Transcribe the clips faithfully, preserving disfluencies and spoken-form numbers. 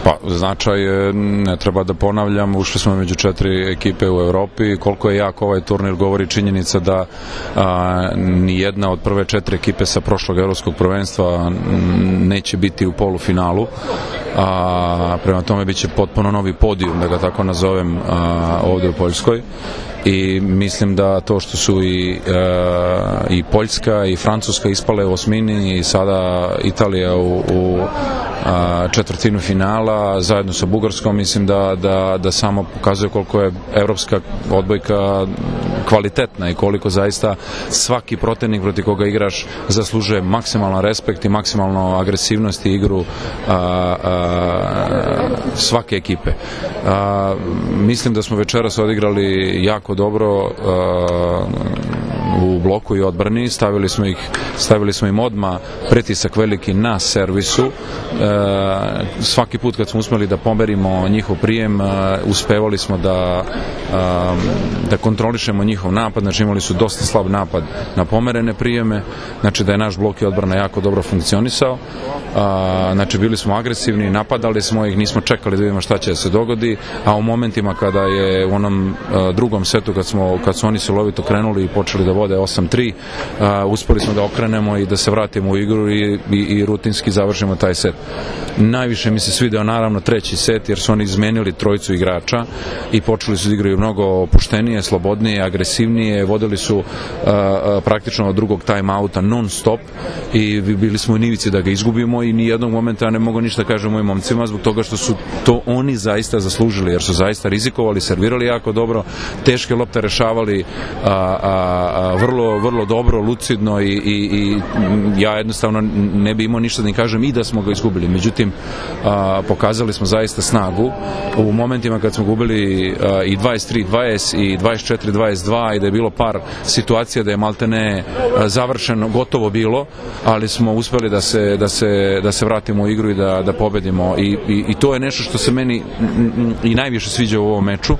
Pa, značaj je, ne treba da ponavljam, ušli smo među četiri ekipe u Evropi. Koliko je jak ovaj turnir govori činjenica da a, ni jedna od prve četiri ekipe sa prošlog evropskog prvenstva neće biti u polufinalu. A, prema tome biće potpuno novi podijum, da ga tako nazovem, a, ovde u Poljskoj. I mislim da to što su i, e, i Poljska i Francuska ispale u osmini i sada Italija u, u a, četvrtinu finala zajedno sa Bugarskom, mislim da, da, da samo pokazuje koliko je evropska odbojka kvalitetna i koliko zaista svaki protivnik protiv koga igraš zaslužuje maksimalan respekt i maksimalno agresivnost i igru a, a, svake ekipe. A, mislim da smo večeras odigrali jako dobro uh, u bloku i odbrani, stavili smo ih stavili smo im odmah pritisak veliki na servisu. Uh, svaki put kad smo uspeli da pomerimo njihov prijem, uh, uspevali smo da uh, da kontrolišemo njihov napad, znači imali su dosta slab napad na pomerene prijeme, znači da je naš blok i odbrana jako dobro funkcionisao. Uh, znači bili smo agresivni, napadali smo ih, nismo čekali da vidimo šta će da se dogodi, a u momentima kada je u onom uh, drugom setu kad smo kad su oni silovito krenuli i počeli da vode osam tri, uh, uspeli smo da okrenemo i da se vratimo u igru i, i, i rutinski završimo taj set. Najviše mi se svideo naravno treći set, jer su oni izmenili trojicu igrača i počeli su da igraju mnogo opuštenije, slobodnije, agresivnije, vodili su uh, uh, praktično od drugog time-outa non stop i bili smo u nivici da ga izgubimo i ni jednog momenta ne mogu ništa kažem mojim momcima zbog toga što su to oni zaista zaslužili, jer su zaista rizikovali, servirali jako dobro, teške lopte rešavali a, a, a, vrlo, vrlo dobro, lucidno i, i, i ja jednostavno ne bi imao ništa da im kažem i da smo ga izgubili. Međutim, a, pokazali smo zaista snagu u momentima kad smo gubili a, i dvadeset tri dvadeset i dvadeset četiri dvadeset dva i da je bilo par situacija da je maltene a, završeno, gotovo bilo, ali smo uspeli da se, da se, da se vratimo u igru i da, da pobedimo I, i, i to je nešto što se meni i najviše sviđa u ovom meču,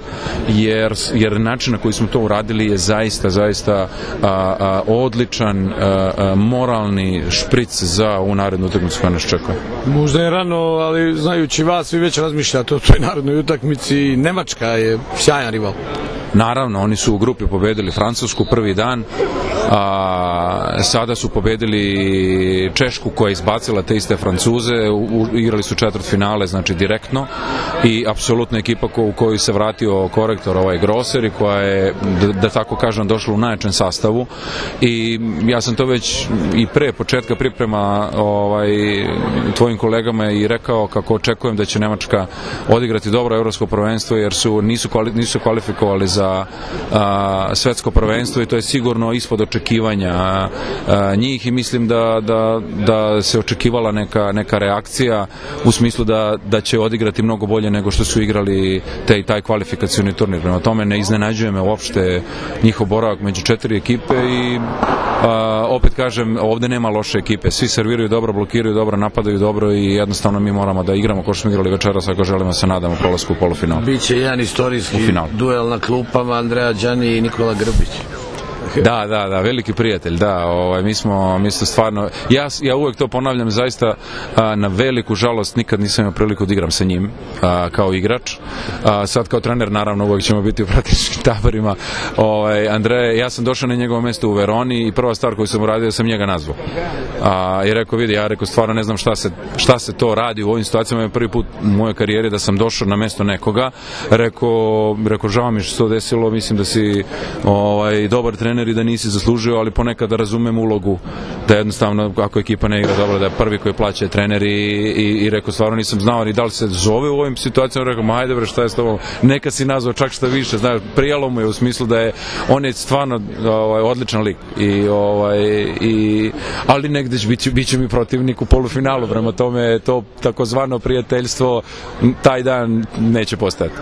jer, jer način na koji smo to uradili je zaista, zaista a, a, odličan a, a, moralni špric za ovu narednu utakmicu koja nas čeka. Možda je rano, ali znajući vas, vi već razmišljate o toj narednoj utakmici. Nemačka je sjajan rival. Naravno, oni su u grupi pobedili Francusku prvi dan, a, sada su pobedili Češku koja je izbacila te iste Francuze, u, igrali su četvrt finale, znači direktno, i apsolutna ekipa ko, u kojoj se vratio korektor ovaj Grosser i koja je, da, da tako kažem, došla u najjačem sastavu i ja sam to već i pre početka priprema ovaj, tvojim kolegama i rekao kako očekujem da će Nemačka odigrati dobro evropsko prvenstvo jer su, nisu, kvali, nisu kvalifikovali za za a, svetsko prvenstvo i to je sigurno ispod očekivanja a, a, njih i mislim da, da, da se očekivala neka, neka reakcija u smislu da, da će odigrati mnogo bolje nego što su igrali taj, taj kvalifikacioni turnir. Prema tome ne iznenađuje me uopšte njihov boravak među četiri ekipe i a, opet kažem, ovde nema loše ekipe, svi serviraju dobro, blokiraju dobro, napadaju dobro i jednostavno mi moramo da igramo kao što smo igrali večeras ako želimo se nadamo prolasku u polufinal. Biće jedan istorijski duel na klupama, Andreja Đani i Nikola Grbić. Da, da, da, veliki prijatelj, da, ovaj, mi smo, mi smo stvarno, ja, ja uvek to ponavljam, zaista a, na veliku žalost nikad nisam imao priliku da igram sa njim a, kao igrač, a, sad kao trener naravno uvek ćemo biti u praktičkim taborima. Ovaj, Andrej, ja sam došao na njegovo mesto u Veroni i prva stvar koju sam uradio sam njega nazvao a, i rekao, vidi, ja rekao, stvarno ne znam šta se, šta se to radi u ovim situacijama, je prvi put u mojoj karijeri da sam došao na mesto nekoga, rekao, rekao žao mi što se to desilo, mislim da si ovaj, dobar trener i da nisi zaslužio, ali ponekad da razumem ulogu da jednostavno ako ekipa ne igra dobro da je prvi koji plaća trener i, i, i rekao stvarno nisam znao ni da li se zove u ovim situacijama, rekao ma ajde bre šta je s tobom, neka si nazvao čak šta više, znaš, prijalo mu je u smislu da je on je stvarno ovaj, odličan lik i, ovaj, i, ali negde će biti, bit će mi protivnik u polufinalu, prema tome to takozvano prijateljstvo taj dan neće postojati.